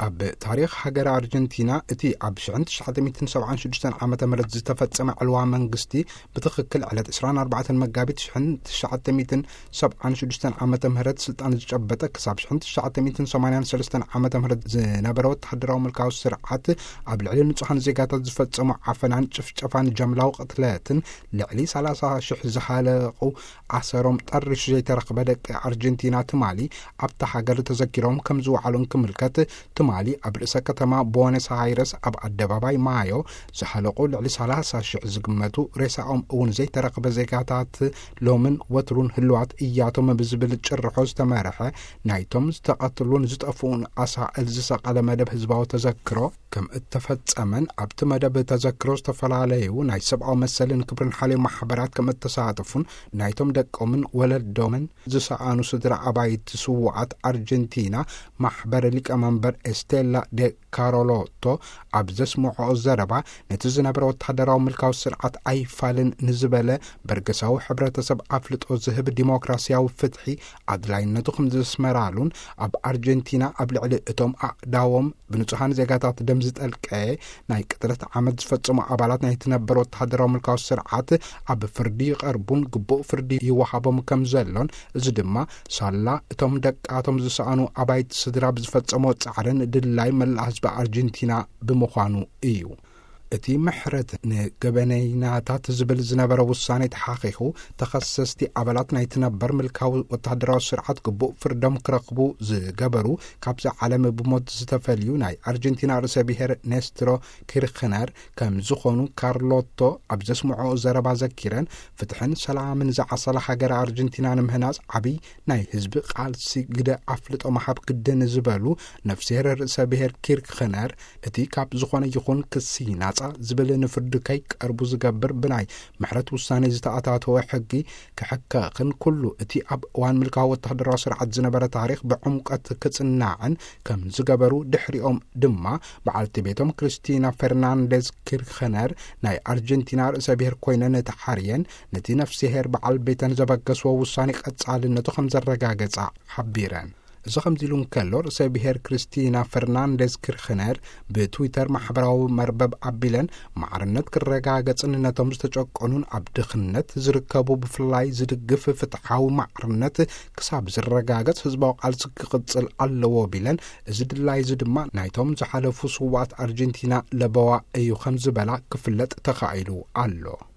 ኣብ ታሪኽ ሃገር ኣርጀንቲና፣ እቲ ኣብ ሽሕን ትሽዓተ ሚእትን ሰብዓን ሽዱሽተን ዓመተ ምህረት ዝተፈጸመ ዕልዋ መንግስቲ፣ ብትኽክል ዕለት ዕስራን ኣርባዕተን መጋቢት ሽሕን ትሽዓተ ሚእትን ሰብዓን ሽዱሽተን ዓመተ ምህረት ስልጣን ዝጨበጠ፣ ክሳብ ሽሕን ትሽዓተ ሚእትን ሰማንያን ሰለስተን ዓመተ ምህረት ዝነበረ ወተሃደራዊ ምልካዊ ስርዓት፣ ኣብ ልዕሊ ንጹሃን ዜጋታት ዝፈጸሞ ዓፈናን ጭፍጨፋን ጀምላዊ ቅትለትን፣ ልዕሊ ሰላሳ ሽሕ ዝሃለቑ ኣሰሮም ጠሪሹ ዘይተረኽበ ደቂ ኣርጀንቲና ትማሊ ኣብታ ሃገር ተዘኪሮም ከም ዝወዓሉን ክምልከት፣ ትማሊ ኣብ ርእሰ ከተማ ቦነስ ኣይረስ ኣብ ኣደባባይ ማዮ ዝሃለቑ ልዕሊ ሰላሳ ሽሕ ዝግመቱ ሬሳኦም እውን ዘይተረኽበ ዜጋታት ሎምን ወትሩን ህልዋት እያቶም ብዝብል ጭርሖ ዝተመርሐ፣ ናይቶም ዝተቐትሉን ዝጠፍኡን ኣሳእል ዝሰቐለ መደብ ህዝባዊ ተዘክሮ ከም እተፈጸመን፣ ኣብቲ መደብ ተዘክሮ ዝተፈላለዩ ናይ ሰብኣዊ መሰልን ክብርን ሓልዮ ማሕበራት ከም እተሳተፉን፣ ናይቶም ደቆምን ወለዶምን ዝሰኣኑ ስድራ ኣባይቲ ስዉኣት ኣርጀንቲና ማሕበር ሊቀመንበር ኤስቴላ ዴ ካሮሎቶ ኣብ ዘስምዖ ዘረባ፣ ነቲ ዝነበረ ወተሃደራዊ ምልካዊ ስርዓት ኣይፋልን ንዝበለ በርገሳዊ ሕብረተሰብ ኣፍልጦ ዝህብ ዲሞክራሲያዊ ፍትሒ ኣድላይነቱ ከም ዘስመራሉን፣ ኣብ ኣርጀንቲና ኣብ ልዕሊ እቶም ኣእዳዎም ብንጹሃን ዜጋታት ደም ዝጠልቀየ ናይ ቅትለት ዓመት ዝፈጸሙ ኣባላት ናይቲ ነበር ወተሃደራዊ ምልካዊ ስርዓት ኣብ ፍርዲ ይቐርቡን ግቡእ ፍርዲ ይወሃቦም ከም ዘሎን፣ እዚ ድማ ሳላ እቶም ደቃቶም ዝሰኣኑ ኣባይቲ ስድራ ብዝፈጸሞ ጻዕርን ድላይ መላእ ህዝቢ ኣርጀንቲና ብምዃኑ እዩ። እቲ ምሕረት ንገበነይናታት ዝብል ዝነበረ ውሳኔ ተሓኺኹ፣ ተኸሰስቲ ኣባላት ናይቲ ነበር ምልካዊ ወተሃደራዊ ስርዓት ግቡእ ፍርዶም ክረኽቡ ዝገበሩ፣ ካብዚ ዓለም ብሞት ዝተፈልዩ ናይ ኣርጀንቲና ርእሰ ብሔር ኔስትሮ ኪርክነር ከም ዝኾኑ ካርሎቶ ኣብ ዘስምዖ ዘረባ ዘኪረን፣ ፍትሕን ሰላምን ዝዓሰላ ሃገር ኣርጀንቲና ንምህናጽ ዓብይ ናይ ህዝቢ ቃልሲ ግደ ኣፍልጦ ምሃብ ግድን ዝበሉ ነፍስሄር ርእሰ ብሔር ኪርክነር፣ እቲ ካብ ዝኾነ ይኹን ክሲ ናጻ ዝብል ንፍርዲ ከይቀርቡ ዝገብር ብናይ ምሕረት ውሳኔ ዝተኣታተወ ሕጊ ክሕከኽን፣ ኩሉ እቲ ኣብ እዋን ምልካዊ ወተሃደራዊ ስርዓት ዝነበረ ታሪኽ ብዕምቀት ክጽናዕን ከም ዝገበሩ፣ ድሕሪኦም ድማ በዓልቲ ቤቶም ክርስቲና ፈርናንዴዝ ኪርክነር ናይ ኣርጀንቲና ርእሰ ብሔር ኮይነን ተሓርየን፣ ነቲ ነፍስሄር በዓል ቤተን ዘበገስዎ ውሳኔ ቀጻልነቱ ከም ዘረጋገጻ ሓቢረን። እዚ ከምዚ ኢሉ እንከሎ፣ ርእሰ ብሔር ክርስቲና ፈርናንዴዝ ኪርክነር ብትዊተር ማሕበራዊ መርበብ ኣቢለን፣ ማዕርነት ክረጋገጽን ነቶም ዝተጨቆኑን ኣብ ድኽነት ዝርከቡ ብፍላይ ዝድግፍ ፍትሓዊ ማዕርነት ክሳብ ዝረጋገጽ ህዝባዊ ቃልሲ ክቕጽል ኣለዎ ቢለን፣ እዚ ድላይ እዚ ድማ ናይቶም ዝሓለፉ ስዉኣት ኣርጀንቲና ለበዋ እዩ ከም ዝበላ ክፍለጥ ተኻኢሉ ኣሎ።